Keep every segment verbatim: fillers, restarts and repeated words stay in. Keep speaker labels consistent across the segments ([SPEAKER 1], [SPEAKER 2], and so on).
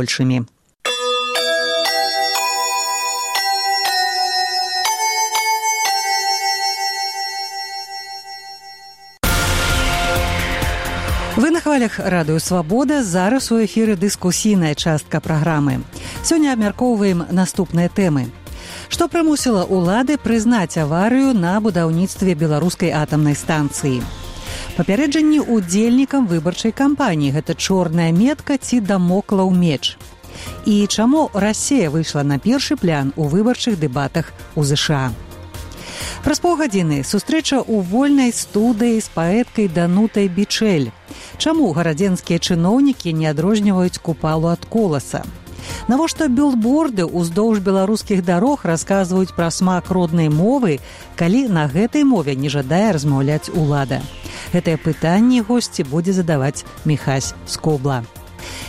[SPEAKER 1] большими. Вы на хвалях радыё «Свабода». Зараз у эфіры дыскусійная частка праграмы. Сёння абмяркоўваем наступныя тэмы. Што прымусіла ўлады прызнаць аварыю на будаўніцтве беларускай атамнай станцыі? Папярэджанні удзельнікам выбарчай кампаніі. Гэта чорная метка ці дамоклаў меч. І чаму Расія выйшла на першы план у выбарчых дэбатах у ЗША? Праз паўгадзіны сустрэча ў вольнай студыі з паэткай Данутай Бичэль. Чаму гарадзенскія чыноўнікі не адрозніваюць купалу ад коласа? Навошта білборды ўздоўж беларускіх дарог расказваюць пра смак роднай мовы, калі на гэтай мове не жадае размаўляць улада? Гэтыя пытанні госці будзе задаваць Міхась Скобла.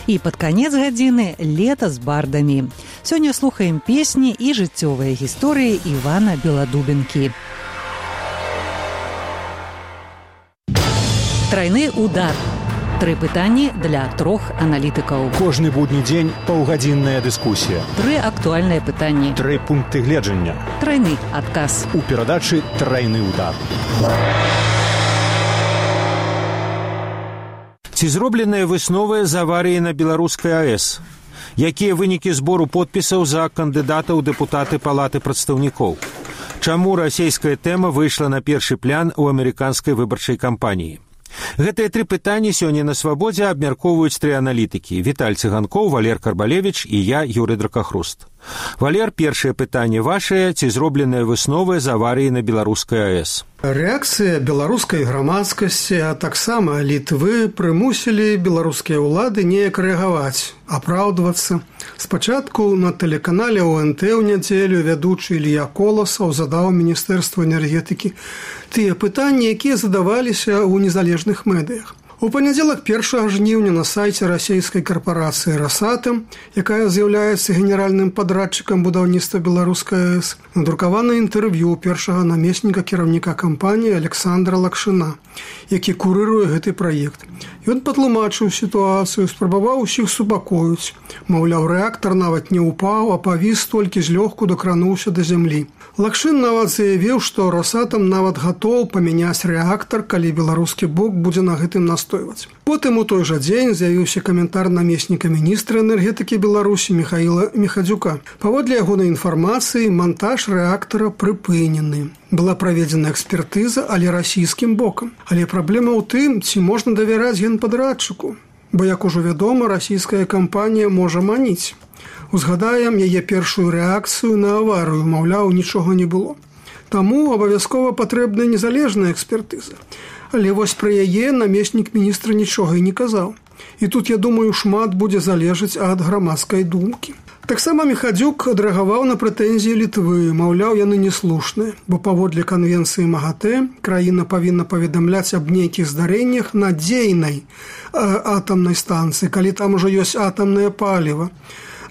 [SPEAKER 1] І пад канец гадзіны лета з бардамі. Сёння слухаем песні і жыццёвыя гісторыі Івана Беладубенкі. Трайны удар. Тры пытанні для трох аналітыкаў.
[SPEAKER 2] Кожны будні дзень паўгадзінная дыскусія.
[SPEAKER 1] Тры актуальныя пытанні.
[SPEAKER 2] Тры пункты гледжання.
[SPEAKER 1] Трайны адказ.
[SPEAKER 2] У перадачы «Трайны удар».
[SPEAKER 3] Ці зробленыя высновы з аварыі на беларускай АЭС? Якія вынікі збору подпісаў за кандыдата ў дэпутаты Палаты прадстаўнікоў? Чаму расійская тэма выйшла на першы план у амерыканскай выбарчай кампаніі? Гэтыя тры пытанні сёння на «Свабодзе» абмяркоўваюць тры аналітыкі. Віталь Цыганкоў, Валер Карбалевіч і я, Юрый Дракахруст. Валер, першае пытанне вашае. Ці зробленыя высновы з аварыі на беларускай АЭС?
[SPEAKER 4] Рэакцыя беларускай грамадскасці, а таксама Літвы прымусілі беларускія ўлады неяк рэагаваць, апраўдвацца. Спачатку на тэлеканале О Эн Тэ ў нядзелю вядучы Ілья Коласаў задаў Міністэрству энергетыкі тыя пытанні, якія задаваліся ў незалежных медыях. У панядзелак першага жніўня на сайце расійскай карпорацыі «Росатом», якая з'яўляецца генеральным падрадчыкам будаўніцтва беларускай АЭС, надрукавана інтэрв'ю першага намесніка кіраўніка кампаніі Александра Лакшына, які курыруе гэты праект. Ён патлумачыў сітуацыю, спрабаваў усіх супакоіць. Маўляў, рэактар нават не ўпаў, а павіс толькі злёгку дакрануўся да зямлі. Лакшын нават заявіў, што «Росатом» нават гатоў памяняць рэактар, калі беларускі бок будзе на гэтым настойваць. Потым у той жа дзень з'явіўся каментар намесніка міністра энергетыкі Беларусі Міхаіла Міхадзюка. Паводле ягонай інфармацыі, монтаж рэактара прыпынены. Была праведзена экспертыза, але расійскім бокам. Але праблема ў тым, ці можна давяраць генпадрадчыку. Бо, як ужо вядома, расійская кампанія можа маніць. Узгадаем яе першую рэакцыю на аварыю, маўляў, нічога не было. Таму абавязкова патрэбная незалежная экспертыза. Але вось пра яе намеснік міністра нічога і не казаў. І тут, я думаю, шмат будзе залежаць ад грамадскай думкі. Таксама Міхадзюк адрэагаваў на прэтэнзіі Літвы, маўляў, яны неслушныя, бо паводле канвенцыі МАГАТЭ краіна павінна паведамляць аб нейкіх здарэннях на дзейнай атамнай станцыі, калі там ужо ёсць атамнае паліва.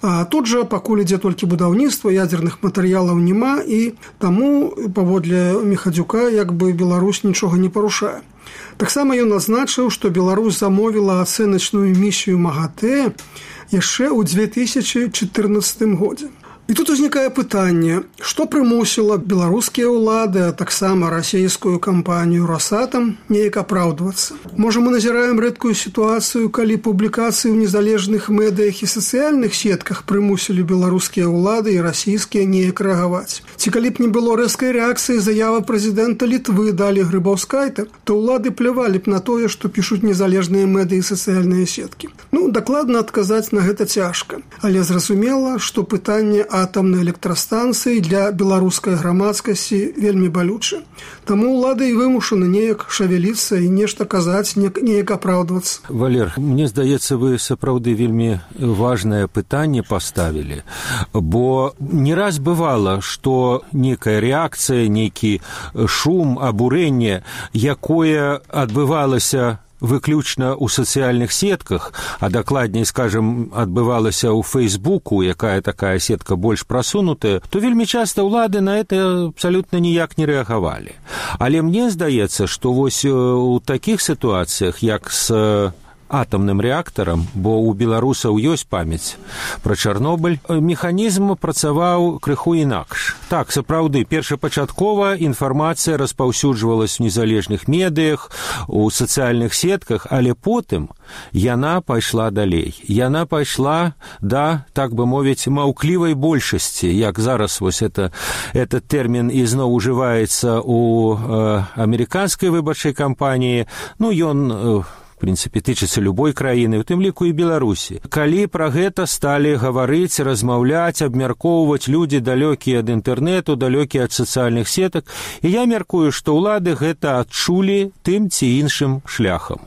[SPEAKER 4] А тут жа пакуль ідзе толькі будаўніцтва, ядзерных матэрыялаў няма, і таму паводле Міхадзюка як бы Беларусь нічога не парушае. Таксама ён адзначыў, што Беларусь замовіла ацэначную місію МАГАТЭ яшчэ ў дзве тысячы чатырнаццатым годзе. І тут узнікае пытанне, што прымусіла беларускія ўлады, а таксама расійскую кампанію «Росатом» неяк апраўдвацца. Можа, мы назіраем рэдкую сітуацыю, калі публікацыі ў незалежных медыях і сацыяльных сетках прымусілі беларускія ўлады і расійскія неяк рэагаваць. Ці калі б не было рэзкай рэакцыі заява прэзідэнта Літвы Далі Грыбаўскайта, то ўлады плявалі б на тое, што пішуць незалежныя медыі і сацыяльныя сеткі. Ну, дакладна адказаць на гэта цяжка. Але зразумела, што пытанне атамнай электрастанцыі для беларускай грамадскасці вельмі балюча. Таму ўлады і вымушаны неяк шавяліцца і нешта казаць, неяк апраўдвацца.
[SPEAKER 3] Валер, мне здаецца, вы сапраўды вельмі важнае пытанне паставілі, бо не раз бывала, што некая рэакцыя, нейкі шум, абурэнне, якое адбывалася выключна ў сацыяльных сетках, а дакладней, скажем, адбывалася ў Фейсбуку, якая такая сетка больш прасунутая, то вельмі часта ўлады на это абсалютна ніяк не рэагавалі. Але мне здаецца, што вось у такіх сітуацыях, як з атамным рэактарам, бо ў беларусаў ёсць памяць пра Чарнобыль, механізм працаваў крыху інакш. Так, сапраўды, першапачаткова інфармацыя распаўсюджвалась у незалежных медыях, у сацыяльных сетках, але потым яна пайшла далей. Яна пайшла да, так бы мовіць, маўклівай большасці, як зараз вось это, этот тэрмін ізноў ужываецца у э, амерыканскай выбарчай кампаніі. Ну, ён э, в прынцыпе, тычыцца любой краіны, у тым ліку і Беларусі. Калі пра гэта сталі гаварыць, размаўляць, абмяркоўваць людзі далёкія ад інтэрнэту, далёкія ад сацыяльных сетак, і я мяркую, што ўлады гэта адчулі тым ці іншым шляхам.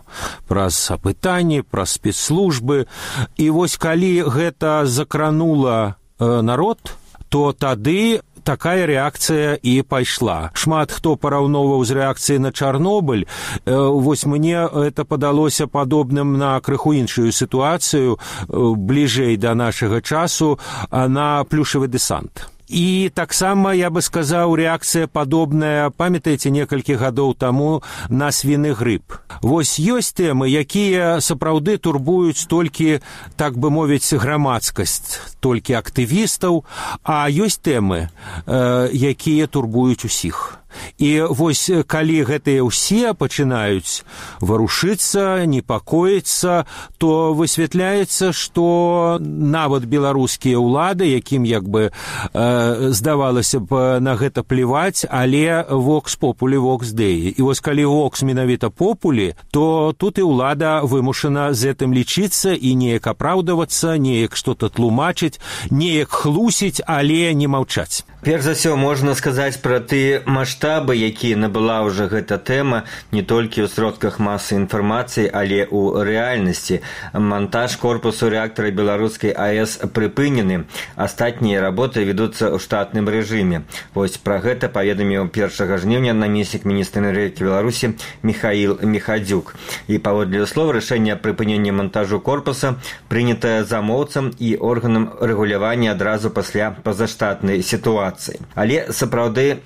[SPEAKER 3] Праз апытанні, праз спецслужбы. І вось калі гэта закранула э, народ, то тады такая рэакцыя і пайшла. Шмат хто параўноўваў з рэакцыяй на Чарнобыль. Вось мне это падалося падобным на крыху іншую сітуацыю, бліжэй да нашага часу, на плюшавы дэсант. І таксама, я бы сказаў, рэакцыя падобная, памятаеце, некалькі гадоў таму на свіны грып. Вось ёсць тэмы, якія сапраўды турбуюць толькі, так бы мовіць, грамадскасць, толькі актывістаў, а ёсць тэмы, э, якія турбуюць усіх. І вось калі гэтыя ўсе пачынаюць варушыцца, непакоіцца, то высвятляецца, што нават беларускія ўлады, якім як бы э, здавалася б на гэта плеваць, але вокс популі, вокс деі. І вось калі вокс менавіта популі, то тут і ўлада вымушана з гэтым лічыцца і неяк апраўдавацца, неяк што-то тлумачыць, неяк хлусіць, але не маўчаць.
[SPEAKER 5] Перш за ўсё, можна сказаць пра ты маштабы, якія набыла ўжо гэта тэма не толькі ў сродках масы інфармацыі, але ў рэальнасці. Монтаж корпусу рэактара беларускай АЭС прыпынены. Астатнія работы вядуцца ў штатным рэжыме. Вось пра гэта паведаміў першага жніўня намеснік міністра энергетыкі Беларусі Михаил Михадзюк. І паводле слоў, рашэнне прыпынення монтажу корпуса прынятае замоўцам і органам рэгулявання адразу пасля пазаштатнай сітуацыі. Але сапраўды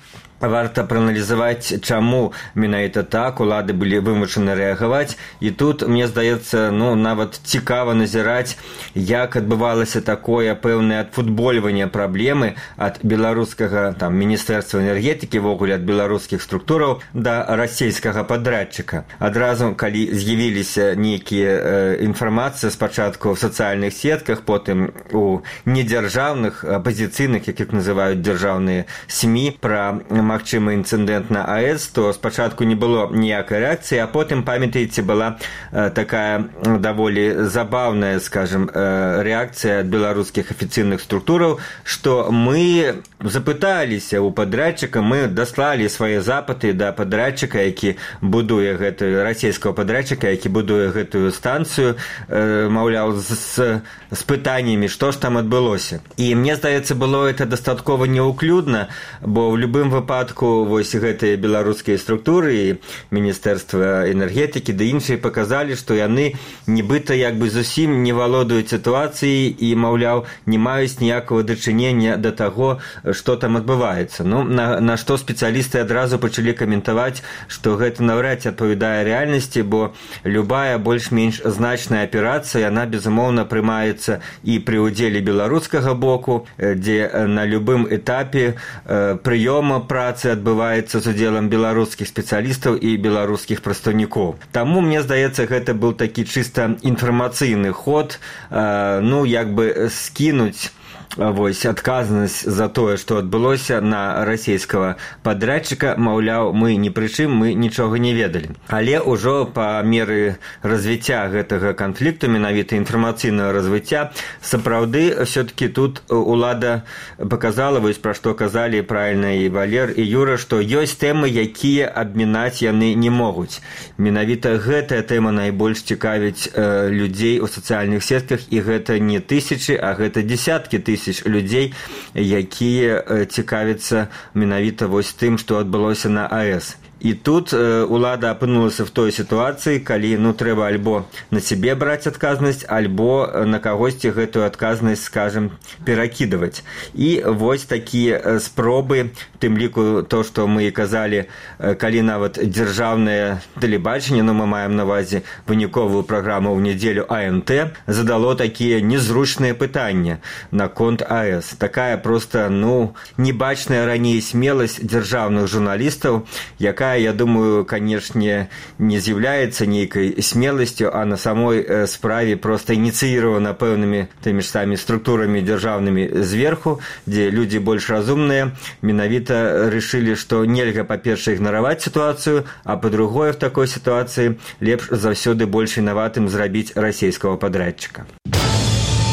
[SPEAKER 5] варта прааналізаваць, чаму менавіта так улады былі вымушаны рэагаваць. І тут, мне здаецца, ну, нават цікава назіраць, як адбывалася такое пэўнае адфутбольванне праблемы ад беларускага там міністэрства энергетыкі, вогуле ад беларускіх структураў да расійскага падрадчыка. Адразу, калі з'явіліся нейкія э, інфармацыі спачатку ў сацыяльных сетках, потым у недзяржаўных, апазіцыйных, якіх называюць дзяржаўныя СМІ, пра магчымы інцыдэнт на АЭС, то спачатку не было ніякай рэакцыі, а потым, памятаеце, была э, такая даволі забаўная, скажем, э, рэакцыя ад беларускіх афіцыйных структураў, што мы запыталіся ў падрадчыка, мы даслалі свае запыты да падрадчыка, які будуе гэтую, расійскага падрадчыка, які будуе гэтую станцыю, э, маўляў, з, з пытаннямі, што ж там адбылося. І мне здаецца, было это дастаткова неўклюдна, бо ў любым выпадку вось гэтыя беларускія структуры і міністэрства энергетыкі ды іншыя паказалі, што яны нібыта як бы зусім не валодаюць сітуацыяй і, маўляў, не маюць ніякага дачынення да таго, што там адбываецца. Ну, на, на што спецыялісты адразу пачалі каментаваць, што гэта наўрад ці адпавядае рэальнасці, бо любая больш-менш значная аперацыя, яна, безумоўна, прымаецца і пры ўдзеле беларускага боку, дзе на любым этапе э, прыёма працы адбываецца з удзелам беларускіх спецыялістаў і беларускіх прадстаўнікоў. Таму, мне здаецца, гэта быў такі чыста інфармацыйны ход, э, ну, як бы скінуць вось адказнасць за тое, што адбылося на расійскага падрадчыка, маўляў, мы ні пры чым, мы нічога не ведалі. Але ўжо па меры развіцця гэтага канфлікту, менавіта інфармацыйнага развіцця, сапраўды ўсё-такі тут улада паказала, вось пра што казалі правільна і Валер, і Юра, што ёсць тэмы, якія абмінаць яны не могуць. Менавіта гэтая тэма найбольш цікавіць э, людзей у сацыяльных сетках, і гэта не тысячы, а гэта дзесяткі тысяч людзей, якія цікавяцца менавіта вось тым, што адбылося на АЭС. І тут э, улада апынулася в той сітуацыі, калі ну трэба альбо на сябе браць адказнасць, альбо на кагосьці гэтую адказнасць, скажем, перакідваць. І вось такія спробы, тым ліку то, што мы казалі, калі нават дзяржаўнае тэлебачанне, ну мы маем на увазе выніковую праграму ў нядзелю А Н Т, задало такія незручныя пытанні наконт А Эс. Такая проста, ну, небачная раней смеласць дзяржаўных журналістаў, якая, я думаю, канешне, не з'яўляецца нейкай смеласцю, а на самой справе проста ініцыіравана пэўнымі тымі ж самі структурамі дзяржаўнымі зверху, дзе людзі больш разумныя, менавіта рашылі, што нельга, па-першае, ігнараваць сітуацыю, а па-другое, в такой сітуацыі лепш заўсёды больш вінаватым зрабіць расійскага падрядчыка.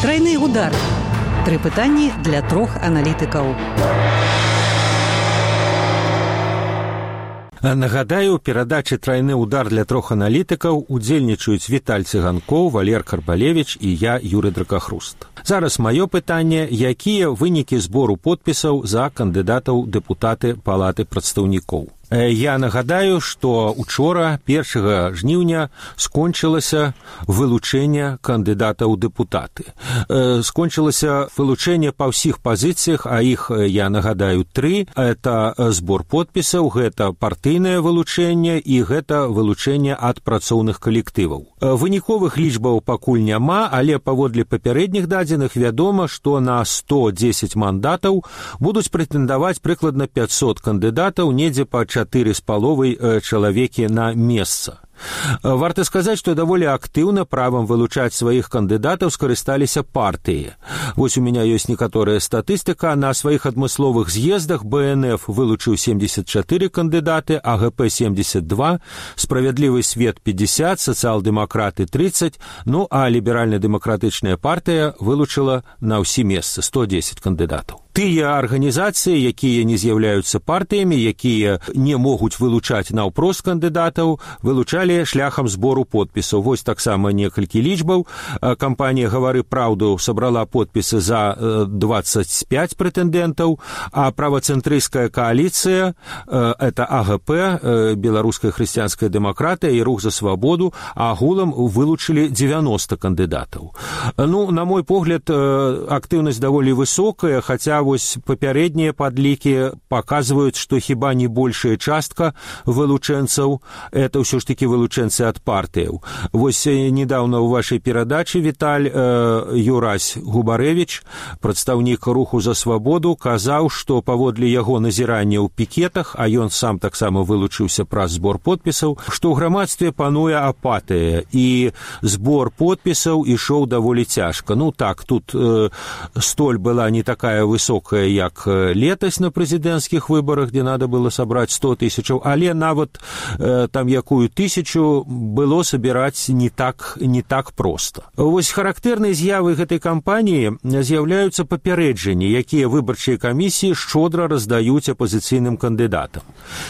[SPEAKER 1] Трайны удар. Тры пытанні для трох аналітыкаў.
[SPEAKER 3] Нагадаю, у перадачы «Трайны удар» для трох аналітыкаў удзельнічаюць Віталь Цыганкоў, Валер Карбалевіч і я, Юрый Дракахруст. Зараз маё пытанне, якія вынікі збору подпісаў за кандыдатаў дэпутаты Палаты прадстаўнікоў. Я нагадаю, што учора, першага жніўня, скончылася вылучэнне кандыдатаў у дэпутаты. Скончылася вылучэнне па ўсіх пазіцыях, а іх, я нагадаю, тры. Это збор подпісаў, гэта партыйнае вылучэнне і гэта вылучэнне ад працоўных калектываў. Выніковых лічбаў пакуль няма, але паводле папярэдніх дадзеных вядома, што на сто дзесяць мандатаў будуць прэтэндаваць прыкладна пяцьсот кандыдатаў, недзе па чатыры з паловай чалавекі на месца. Варта сказаць, што даволі актыўна правам вылучаць сваіх кандыдатаў скарысталіся партыі. Вось у меня ёсць некаторая статыстыка. На сваіх адмысловых з'ездах Бэ Эн Эф вылучыў семьдесят чатыры кандыдаты, А Гэ Пэ семьдесят два, Справядлівы свет пятьдесят, сацыял-дэмакраты тридцать, ну а ліберальна-дэмакратычная партыя вылучыла на ўсе месцы сто дзесяць кандыдатаў. Тыя арганізацыі, якія не з'яўляюцца партыямі, якія не могуць вылучаць наўпрост кандыдатаў, вылучалі шляхам збору подпісаў. Вось таксама некалькі лічбаў. Кампанія «Гавары праўду» сабрала подпісы за двадцать пять прэтэндэнтаў, а правацэнтрысцкая кааліцыя, это А Гэ Пэ, Беларуская хрысціянская дэмакратыя і Рух за свабоду, агулам вылучылі девяносто кандыдатаў. Ну, на мой погляд, актыўнасць даволі высокая, хаця вось папярэднія падлікі паказваюць, што хіба не большая частка вылучэнцаў это ўсё ж такі вылучэнцы ад партыяў. Вось недавно ў вашай перадачы, Віталь, Юрась Губарэвіч, прадстаўнік Руху за свабоду, казаў, што паводле яго назірання ў пікетах, а ён сам таксама вылучыўся праз збор подпісаў, што ў грамадстве пануе апатыя і збор подпісаў ішоў даволі цяжка. Ну так, тут э, столь была не такая высокая, як летась на прэзідэнцкіх выбарах, дзе надо было сабраць сто тысячаў, але нават э, там якую тысячу было сабіраць не так, не так проста. Вось характэрнай з'явай гэтай кампаніі з'яўляюцца папярэджанні, якія выбарчыя камісіі шчодра раздаюць апазіцыйным кандыдатам.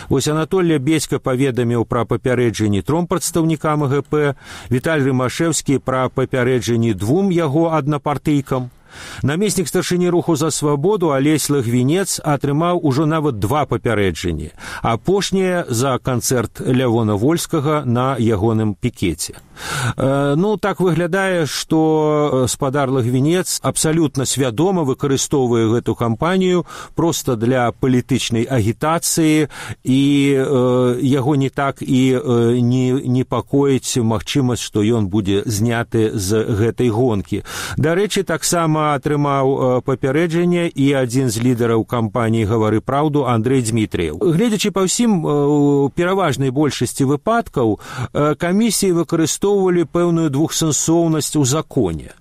[SPEAKER 3] Вось Анатолій Бецька паведаміў пра папярэджанні тром прадстаўнікам А Гэ Пэ, Віталь Рымашэўскі пра папярэджанні двум яго аднапартыйкам. Намеснік старшыні Руху за свабоду Алесь Лагвінец атрымаў ужо нават два папярэджанні, апошняе за канцэрт Лявона Вольскага на ягоным пікеце. Ну, так выглядае, што спадар Лагвінец абсалютна свядома выкарыстоўвае гэту кампанію проста для палітычнай агітацыі, і яго не так і не непакоіць магчымасць, што ён будзе зняты з гэтай гонкі. Дарэчы, таксама атрымаў папярэджанне і адзін з лідараў кампаніі «Гавары праўду» Андрэй Дзмітрыеў. Гледзячы па ўсім, у пераважнай большасці выпадкаў камісіі выкарыстоўвалі пэўную двухсэнсоўнасць у законе.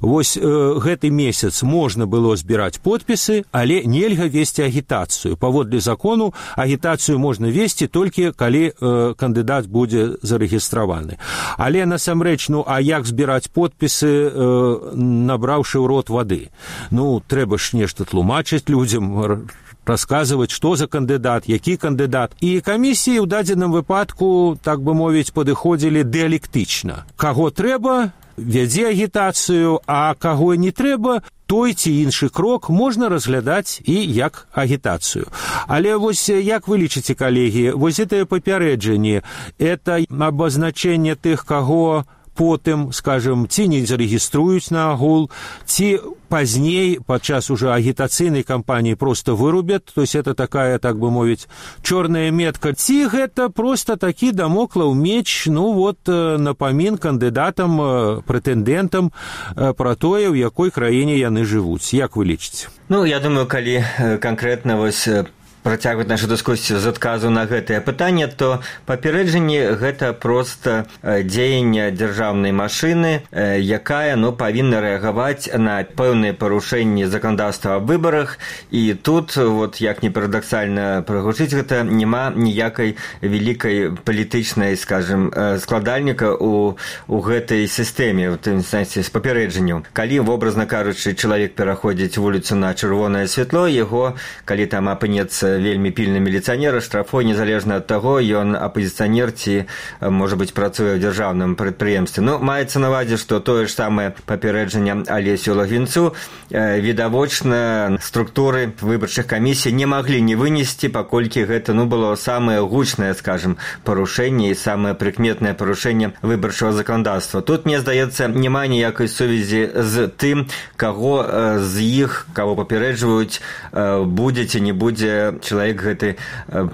[SPEAKER 3] Вось э, гэты месяц можна было збіраць подпісы, але нельга весці агітацыю. Паводле закону агітацыю можна весці толькі калі э, кандыдат будзе зарэгістраваны. Але насамрэч, ну а як збіраць подпісы, э, набраўшы ў рот вады? Ну, трэба ж нешта тлумачыць людзям, расказваць, што за кандыдат, які кандыдат. І камісіі ў дадзеным выпадку, так бы мовіць, падыходзілі дыялектычна. Каго трэба, вядзе агітацыю, а каго не трэба, той ці іншы крок можна разглядаць і як агітацыю. Але вось як вы лічыце, калегі, вось гэтае папярэджанне, это абазначэнне тых, каго потым, скажем, ці не зарэгіструюць на агул, ці пазней, падчас уже агітацыйнай кампаніі проста вырубят, то есть это такая, так бы мовіць, чорная метка, ці гэта проста такі дамоклаў меч, ну вот, напамін кандыдатам, прэтэндэнтам пра тое, ў якой краіне яны жывуць. Як вы лічыце?
[SPEAKER 5] Ну, я думаю, калі канкрэтна вось працягваць нашу дыскусію з адказу на гэтае пытанне, то папярэджанне гэта проста дзеянне дзяржаўнай машыны, якая, ну, павінна рэагаваць на пэўныя парушэнні заканадаўства аб выбарах, і тут, вот, як не парадаксальна прагучыць гэта, няма ніякай вялікай палітычнай, скажем, складальніка у, у гэтай сістэме, у тым сэнсе з папярэджаннем. Калі, вобразна кажучы, чалавек пераходзіць вуліцу на чырвонае святло, яго, калі там апынецца вельмі пільны міліцыянер, штрафуе незалежна ад таго, ён апазіцыянер ці, можа быць, працуе ў дзяржаўным прадпрыемстве. Ну, маецца на ўвазе, што тое ж самае папярэджанне Алесю Лагвінцу відавочна структуры выбарчых камісій не маглі не вынесці, паколькі гэта, ну, было самае гучнае, скажем, парушэнне і самае прыкметнае парушэнне выбарчага заканадаўства. Тут, мне здаецца, няма ніякай сувязі з тым, каго з іх, каго папярэджваюць, будзе ці не будзе чалавек гэты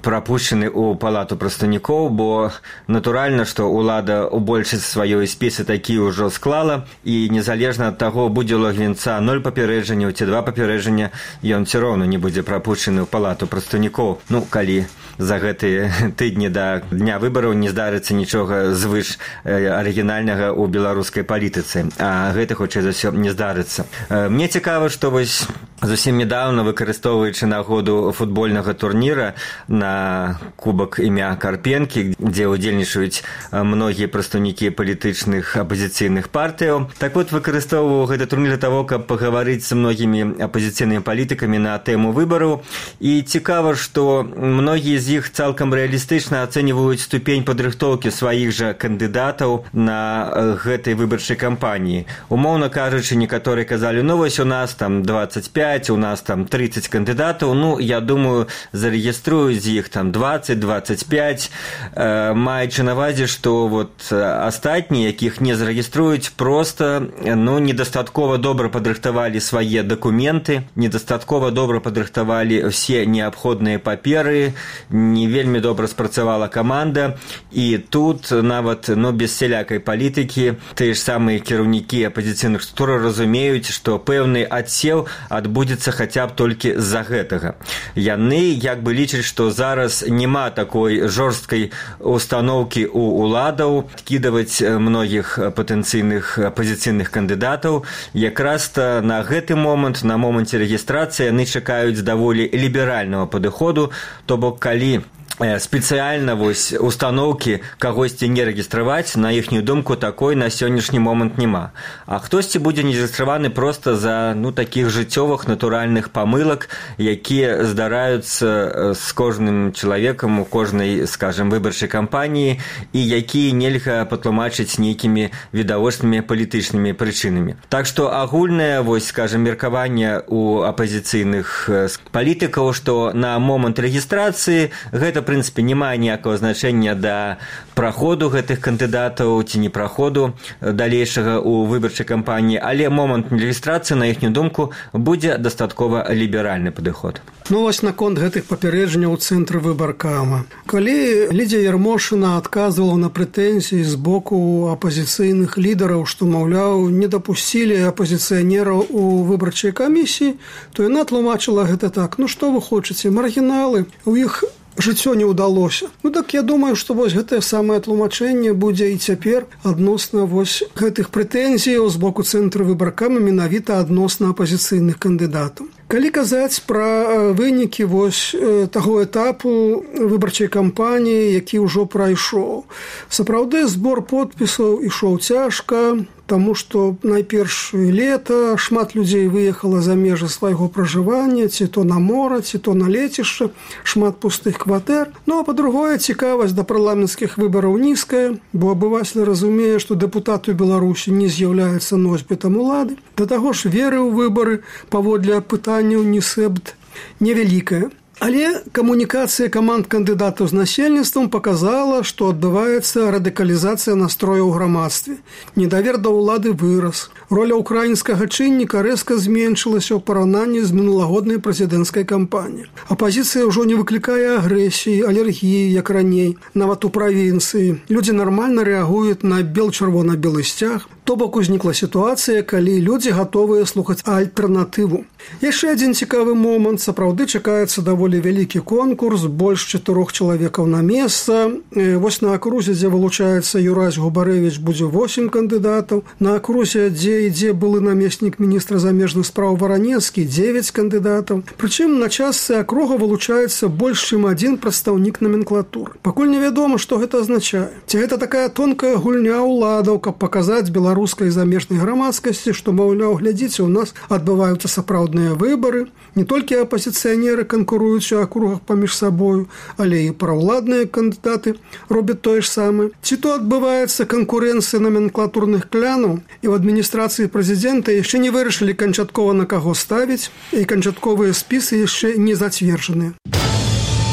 [SPEAKER 5] прапушчаны ў палату прадстаўнікоў, бо натуральна, што ўлада ў большасці сваёй спісы такі ўжо склала, і незалежна ад таго, будзе ў Лагвінца ноль папярэджанняў ці два папярэджання, ён все роўна не будзе прапушчаны ў палату прадстаўнікоў. Ну, калі за гэтыя тыдні да дня выбараў не здарыцца нічога звыш арыгінальнага ў беларускай палітыцы, а гэта, хутчэй за ўсё, не здарыцца. Мне цікава, што вось зусім нядаўна, выкарыстоўваючы нагоду футбольнага турніра на кубак імя Карпенкі, дзе ўдзельнічаюць многія прадстаўнікі палітычных апазіцыйных партыяў. Так вот, выкарыстоўваў гэты турнір для таго, каб пагаварыць з многімі апазіцыйнымі палітыкамі на тэму выбараў. І цікава, што многія з іх цалкам рэалістычна ацэньваюць ступень падрыхтоўкі сваіх жа кандыдатаў на гэтай выбарчай кампаніі. Умоўна кажучы, некаторыя казалі, ну вось у нас там дваццаць пяць, у нас там трыццаць кандыдатаў, ну, я думаю, зарэгіструюць з іх там дваццаць дваццаць пяць, э, маючы на ўвазе, што вот астатнія, якіх не зарэгіструюць, проста, ну, недастаткова добра падрыхтавалі свае дакументы, недастаткова добра падрыхтавалі ўсе неабходныя паперы, не вельмі добра спрацавала каманда, і тут нават, ну, без сялякай палітыкі тыя ж самыя кіраўнікі апазіцыйных структур разумеюць, што пэўны адсеў адбудзецца хаця б толькі з-за гэтага. Яны як бы лічаць, што зараз няма такой жорсткай установкі ў уладаў кідаваць многіх патэнцыйных апазіцыйных кандыдатаў. Якраз-то на гэты момант, на моманце рэгістрацыі, яны чакаюць даволі ліберальнага падыходу, то бок калі спецыяльна вось установкі кагосьці не рэгістраваць, на іхнюю думку, такой на сённяшні момант няма. А хтосьці будзе не рэгістраваны проста за, ну, такіх жыццёвых натуральных памылак, якія здараюцца з кожным чалавекам у кожнай, скажем, выбарчай кампаніі, і якія нельга патлумачыць нейкімі відавочнымі палітычнымі прычынамі. Так што агульнае, вось, скажем, меркаванне у апазіцыйных палітыкаў, што на момант рэгістрацыі гэта, в прынцыпе, не мае ніякага значэння да праходу гэтых кандыдатаў ці не праходу далейшага ў выбарчай кампаніі, але момант рэгістрацыі, на іхнюю думку, будзе дастаткова ліберальны падыход.
[SPEAKER 4] Ну, вось наконт гэтых папярэджанняў у цэнтры выбаркама. Калі Лідзія Ярмошына адказвала на прэтэнзіі з боку апазіцыйных лідараў, што, маўляў, не дапусцілі апазіцыянераў у выбарчай камісіі, то яна тлумачыла гэта так: ну што вы хочаце, маргіналы, у іх жыццё не ўдалося. Ну так я думаю, што вось гэтае самае тлумачэнне будзе і цяпер адносна вось гэтых прэтэнзіяў з боку цэнтру выбаркама менавіта адносна апазіцыйных кандыдатаў. Калі казаць пра вынікі вось таго этапу выбарчай кампаніі, які ўжо прайшоў, сапраўды збор подпісаў ішоў цяжка, Таму што найперш лета шмат людзей выехала за межы свайго пражывання, ці то на мора, ці то на лецішча, шмат пустых кватэр. Ну а па-другое, цікавасць да парламенцкіх выбараў нізкая, бо абывацель разумее, што дэпутат у Беларусі не з'яўляецца носьбітам улады. Да таго ж веры ў выбары паводле апытанняў НІСЭБД невялікая. Але камунікацыя каманд кандыдатаў з насельніцтвам паказала, што адбываецца радыкалізацыя настрояў у грамадстве. Недавер да ўлады вырас. Роля ўкраінскага чынніка рэзка зменшылася ў параўнанні з мінулагоднай прэзідэнцкай кампаніяй. Апазіцыя ўжо не выклікае агрэсіі, алергіі, як раней, нават у правінцыі. Людзі нармальна рэагуюць на бел-чырвона-белы сцяг. То бок узнікла сітуацыя, калі людзі гатовыя слухаць альтэрнатыву. Яшчэ адзін цікавы момант. Сапраўды чакаецца даволі вялікі конкурс, больш чатырох чалавекаў на месца. Вось на акрузе, дзе вылучаецца Юрась Губарэвіч, будзе восем кандыдатаў. На акрузе, дзе ідзе былы намеснік міністра замежных спраў Варанецкі, дзевяць кандыдатаў. Прычым на частцы акруга вылучаецца больш, чым адзін прадстаўнік номенклатуры. Пакуль невядома, што гэта азначае. Ці гэта такая тонкая гульня ўладаў, каб паказаць беларускай замежнай грамадскасці, што, маўляў, глядзіце, у нас адбываюцца сапраўдныя выбары. Не толькі апазіцыянеры канкуруюць у акругах паміж сабою, але і праўладныя кандыдаты робяць тое ж самае. Ці то адбываецца канкурэнцыя номенклатурных клянаў, і ў адміністрацыі прэзідэнта яшчэ не вырашылі канчаткова на каго ставіць, і канчатковыя спісы яшчэ не зацверджаныя.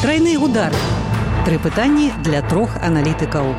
[SPEAKER 1] Трайны удар. Тры пытанні для трох аналітыкаў.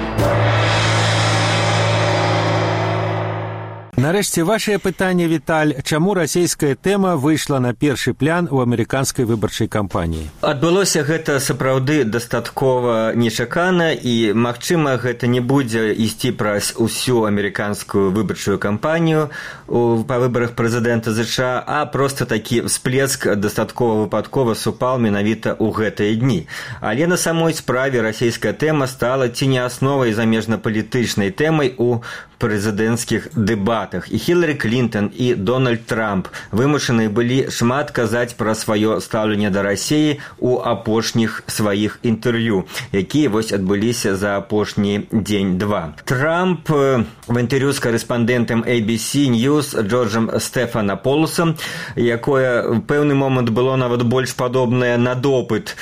[SPEAKER 3] Нарэшце, вашае пытанне, Віталь, чаму расійская тэма выйшла на першы план у амерыканскай выбарчай кампаніі?
[SPEAKER 5] Адбылося гэта сапраўды дастаткова нечакана, і, магчыма, гэта не будзе ісці праз усю амерыканскую выбарчую кампанію па выбарах прэзідэнта ЗША, а проста такі всплеск дастаткова выпадкова супаў менавіта ў гэтыя дні. Але на самой справе расійская тэма стала ці не асновай замежнапалітычнай тэмай у прэзідэнцкіх дэбатах. І Хіларі Клінтон, і Дональд Трамп вымушаны былі шмат казаць пра сваё стаўленне да Расіі ў апошніх сваіх інтэрв'ю, якія вось адбыліся за апошні дзень-два. Трамп в інтэрв'ю з карэспандэнтам эй би си News Джорджам Стэфанаполусам, якое ў пэўны момант было нават больш падобнае на допыт.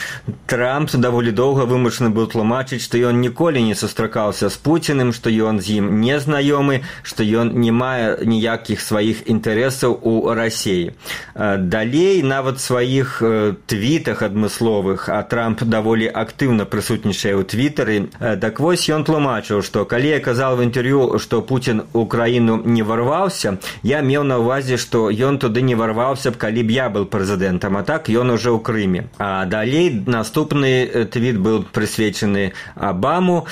[SPEAKER 5] Трамп даволі доўга вымушаны быў тлумачыць, што ён ніколі не сустракаўся з Пуціным, што ён з ім не знаёмы, што ён не мае ніякіх сваіх інтарэсаў у Расіі. Далей, нават сваіх твітах адмысловых, а Трамп даволі актыўна прысутнічае ў твітары, так вось ён тлумачыў, што калі я казаў в інтэрв'ю, што Пуцін у краіну не варваўся, я меў на ўвазе, што ён туды не варваўся б, калі б я был прэзідэнтам, а так ён уже ў Крыме. А далей наступны твіт быў прысвечаны Абаму.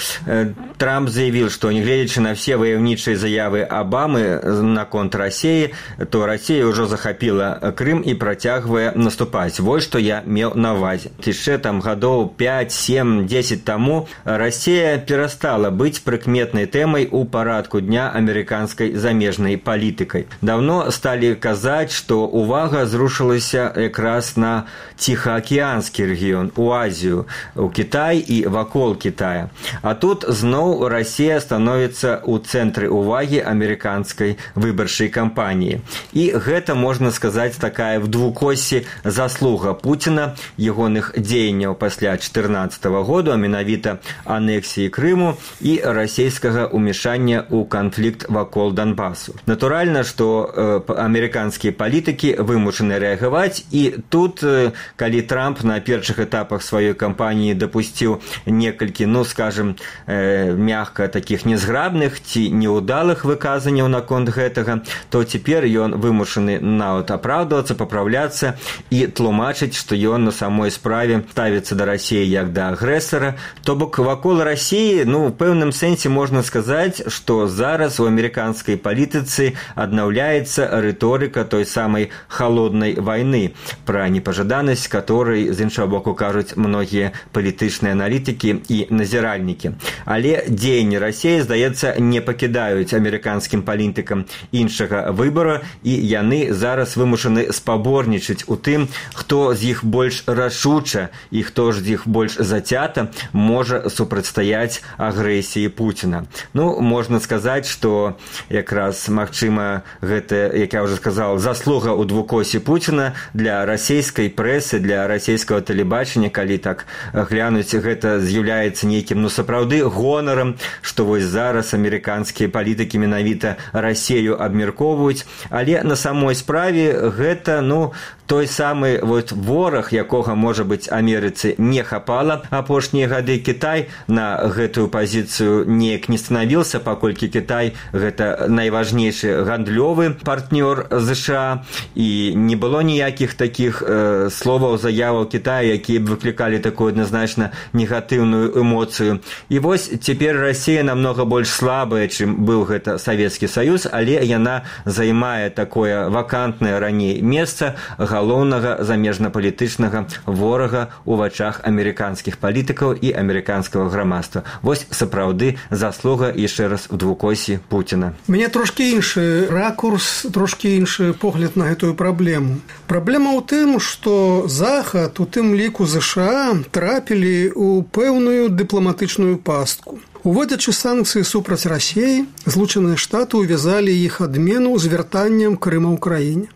[SPEAKER 5] Трамп заявіў, што нягледзячы на все ваяўнічыя заявы Абамы наконт Расіі, то Расія ўжо захапіла Крым і працягвае наступаць. Вось што я меў на ўвазе. Яшчэ там гадоў пяць, сем, дзесяць таму Расія перастала быць прыкметнай тэмай у парадку дня амерыканскай замежнай палітыкай. Даўно сталі казаць, што ўвага зрушылася якраз на Ціхаакіянскі рэгіён, у Азію, у Кітай і вакол Кітая. А тут зноў Расія становіцца у цэнтры увагі амерыканскай выбарчай кампаніі. І гэта, можна сказаць, такая в двукоссі заслуга Пуціна, ягоных дзеянняў пасля чатырнаццатага году, а менавіта анексіі Крыму і расійскага ўмешання ў канфлікт вакол Донбасу. Натуральна, што э, амерыканскія палітыкі вымушаны рэагаваць, і тут, э, калі Трамп на першых этапах сваёй кампаніі дапусціў некалькі, ну, скажем, э, мягка такіх незграбных ці неудалых выказанняў наконт гэтага, то цяпер ён вымушаны нават апраўдвацца, папраўляцца і тлумачыць, што ён на самой справе ставіцца да Расіі як да агрэсара. То бок вакол Расіі, ну, в пэўным сэнсе можна сказаць, што зараз у амерыканскай палітыцы аднаўляецца рыторыка той самай халоднай вайны, пра непажаданасць которой, з іншага боку, кажуць многія палітычныя аналітыкі і назіральнікі. Але дзеянні Расіі, здаецца, не пакідаюць амерыканскім палітыкам палітыкам іншага выбара, і яны зараз вымушаны спаборнічаць у тым, хто з іх больш рашуча і хто ж з іх больш зацята можа супрацьстаяць агрэсіі Пуціна. Ну, можна сказаць, што якраз, магчыма, гэта, як я ўжо сказал, заслуга ў двукосе Пуціна для расійскай прэсы, для расійскага тэлебачання, калі так глянуць, гэта з'яўляецца нейкім, ну, сапраўды гонарам, што вось зараз амерыканскія палітыкі менавіта Расею абмяркоўваюць, але на самой справе гэта, ну, той самы вот вораг, якога, можа быць, Амерыцы не хапала апошнія гады. Кітай на гэтую пазіцыю неяк не станавіўся, паколькі Кітай гэта найважнейшы гандлёвы партнёр ЗША, і не было ніякіх такіх э, словаў, заяваў Кітая, якія б выклікалі такую адназначна негатыўную эмоцыю. І вось цяпер Расія намнога больш слабая, чым быў гэта Савецкі Саюз, але яна займае такое вакантнае раней месца галоўнага замежнапалітычнага ворага ў вачах амерыканскіх палітыкаў і амерыканскага грамадства. Вось сапраўды заслуга яшчэ раз у двукосі Пуціна.
[SPEAKER 4] Мне трошкі іншы ракурс, трошкі іншы погляд на гэтую праблему. Праблема ў тым, што Захад, у тым ліку ЗША, трапілі ў пэўную дыпламатычную пастку. Уводзячы санкцыі супраць Расіі, Злучаныя Штаты увязалі іх адмену з вяртаннем Крыма ўкраіне.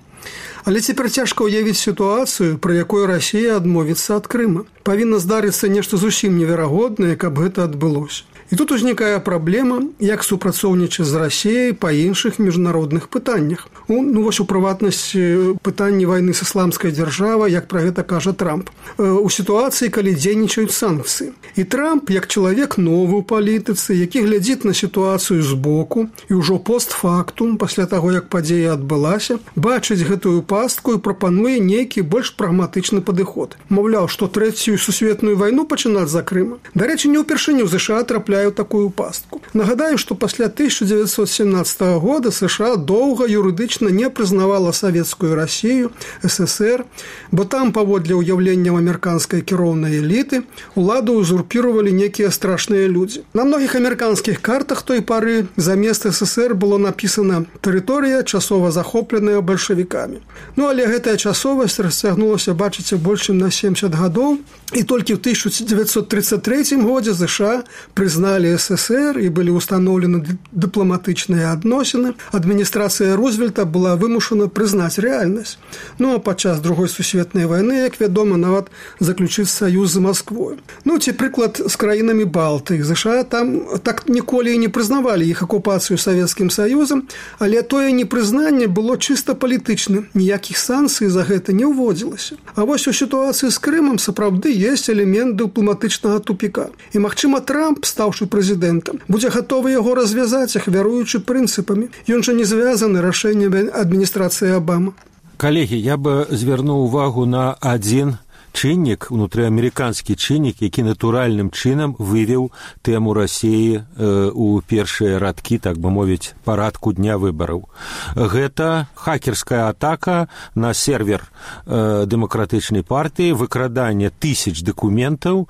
[SPEAKER 4] Але цяпер цяжка ўявіць сітуацыю, пры якой Расія адмовіцца ад Крыма. Павінна здарыцца нешта зусім неверагоднае, каб гэта адбылося. І тут узнікае праблема, як супрацоўнічаць з Расіяй па іншых міжнародных пытаннях. У, ну, вось у прыватнасці пытанні вайны з ісламскай дзяржавай, як пра гэта кажа Трамп. У сітуацыі, калі дзейнічаюць санкцыі. І Трамп, як чалавек новы ў палітыцы, які глядзіць на сітуацыю збоку і ўжо постфактум, пасля таго, як падзея адбылася, бачыць гэтую пастку і прапануе нейкі больш прагматычны падыход. Маўляў, што трэцюю сусветную вайну пачынаць за Крыма. Дарэчы, не ўпершыню ЗША трапляе ў такую пастку. Нагадаю, што пасля тысяча дзевяцьсот сямнаццатага года ЗША доўга юрыдычна не прызнавала савецкую Расію, СССР, бо там, паводле ўяўленняў амерыканскай кіроўнай эліты, уладу узурпіравалі некія страшныя людзі. На многіх амерыканскіх картах той пары замест СССР было напісана «Тэрыторыя, часова захопленая бальшавікамі». Ну, але гэтая часовасць расцягнулася, бачыце, больш чым на семьдесят гадоў, і толькі ў тысяча дзевяцьсот тридцать третьем годзе ЗША прызналі СССР і былі ўстаноўлены дыпламатычныя адносіны. Адміністрацыя Рузвельта была вымушана прызнаць рэальнасць. Ну, а падчас другой сусветнай вайны, як вядома, нават заключыць саюз з Масквой. Ну, ці прыклад з краінамі Балтыі. ЗША там так ніколі і не прызнавалі іх акупацыю Савецкім Саюзам, але тое непрызнанне было чыста палітычным. Ніякіх санкцый за гэта не ўводзілася. А вось у сітуацыі з Крымам сапраўды ёсць элемент дыпламатычнага тупіка. І, магчыма, Трамп, стаўшы прэзідэнтам, будзе гатовы яго развязаць, ахвяруючы прынцыпамі. Ён жа не звязаны рашэннем адміністрацыі Абама.
[SPEAKER 3] Калегі, я бы звярнуў увагу на адзін чыннік, унутрыамерыканскі чыннік, які натуральным чынам вывеў тэму Расіі э, у першыя радкі, так бы мовіць, парадку дня выбараў. Гэта хакерская атака на сервер э, дэмакратычнай партыі, выкраданне тысяч дакументаў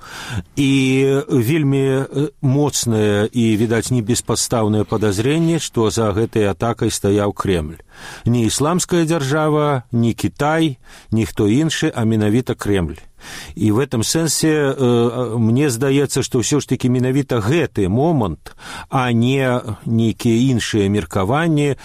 [SPEAKER 3] і вельмі моцнае і, відаць, не беспадстаўнае падазренне, што за гэтай атакай стаяў Кремль. Ні ісламская дзяржава, ні Кітай, ніхто іншы, а менавіта Кремль. І в этом сэнсе э, мне здаецца, што ўсё ж такі менавіта гэты момант, а не нейкія іншыя меркаванні, э,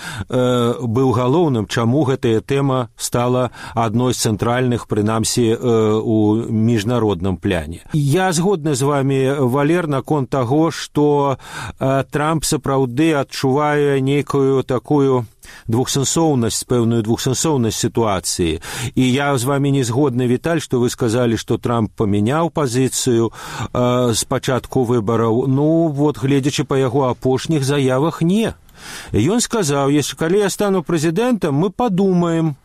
[SPEAKER 3] быў галоўным, чаму гэтая тэма стала адной з цэнтральных, прынамсі, э, у міжнародным пляне. Я згодны з вами, Валер, наконт таго, што э, Трамп сапраўды адчувае нейкую такую двухсэнсоўнасць, пэўную двухсэнсоўнасць сітуацыі. І я з вами не згодны, Віталь, што вы сказалі, што Трамп памяняў пазіцыю э, з пачатку выбараў. Ну, вот, гледзячы па яго апошніх заявах, не. Ён сказаў, если калі я стану прэзідэнтам, мы падумаем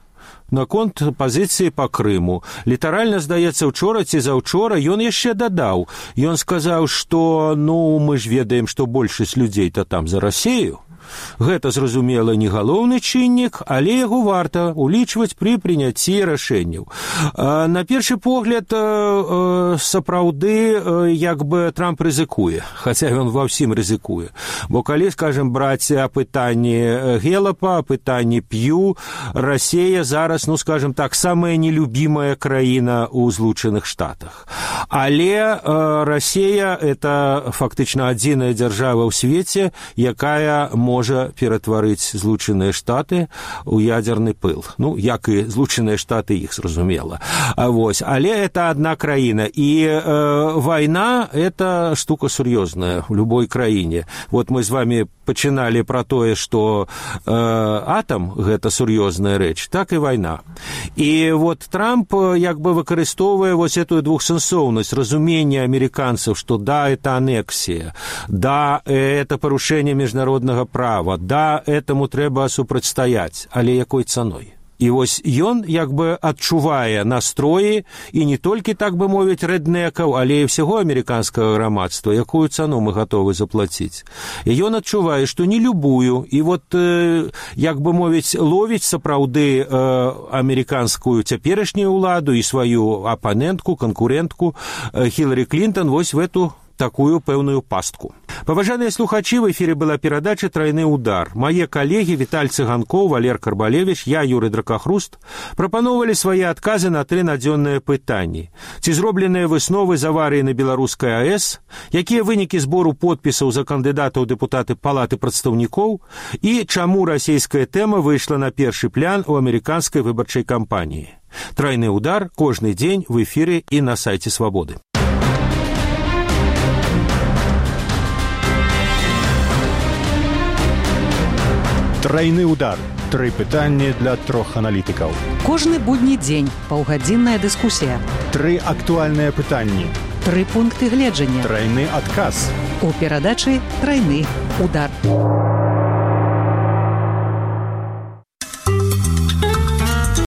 [SPEAKER 3] наконт пазіцыі па Крыму. Літаральна, здаецца, учора ці заўчора ён яшчэ дадаў. Ён сказаў, што, ну, мы ж ведаем, што большасць людзей-то там за Расію. Гэта, зразумела, не галоўны чыннік, але яго варта улічваць пры прыняцці рашэнняў. На першы погляд, сапраўды, як бы Трамп рызыкуе, хаця ён ва ўсім рызыкуе. Бо калі, скажем, браць апытанні Гелапа, апытанні П'ю, Расія зараз, ну, скажем так, самая нелюбімая краіна ў Злучаных Штатах. Але Расія – это фактычна адзіная дзяржава ў свеце, якая можа ператварыць Злучаныя Штаты ў ядзерны пыл. Ну, як і Злучаныя Штаты іх, зразумела. А вось, але это одна краіна. І э, вайна – это штука сур'ёзная ў любой краіне. Вот мы з вами пачыналі пра тое, што э, атам – гэта сур'ёзная рэч, так і вайна. І вот Трамп як бы выкарыстоўвае вось эту двухсэнсоўнасць, разумение американцев, что да, это аннексия, да, это порушение международного права, да, этому трэба супрацьстаяць, але якой цаной? І вось ён як бы адчувае настроі і не толькі, так бы мовіць, рэднекаў, але і ўсяго амерыканскага грамадства, якую цану мы гатовы заплаціць. І ён адчувае, што не любую, і вот, э, як бы мовіць, ловіць сапраўды э, амерыканскую цяперашнюю ўладу і сваю апанентку, канкурентку э, Хіларі Клінтон вось в эту такую пэўную пастку. Паважаныя слухачы, в эфире была перадача «Тройны удар». Мае калегі Віталь Цыганкоў, Валер Карбалевич, я, Юры Дракахруст, прапановалі свае адказы на тры надзённыя пытанні. Ці зробленыя высновы з аварыі на беларускай АЭС, якія вынікі збору подпісаў за кандыдатаў дэпутаты Палаты прадстаўнікоў і чаму расійская тэма выйшла на першы план у амерыканскай выбарчай кампаніі. «Тройны удар» кожны дзень в эфире і на сайце Свабоды.
[SPEAKER 2] Тройны удар. Тры пытанні для трох аналітыкаў.
[SPEAKER 1] Кожны будні дзень паўгадзінная дыскусія.
[SPEAKER 2] Тры актуальныя пытанні.
[SPEAKER 1] Тры пункты гледжання.
[SPEAKER 2] Тройны адказ.
[SPEAKER 1] У перадачы «Тройны удар».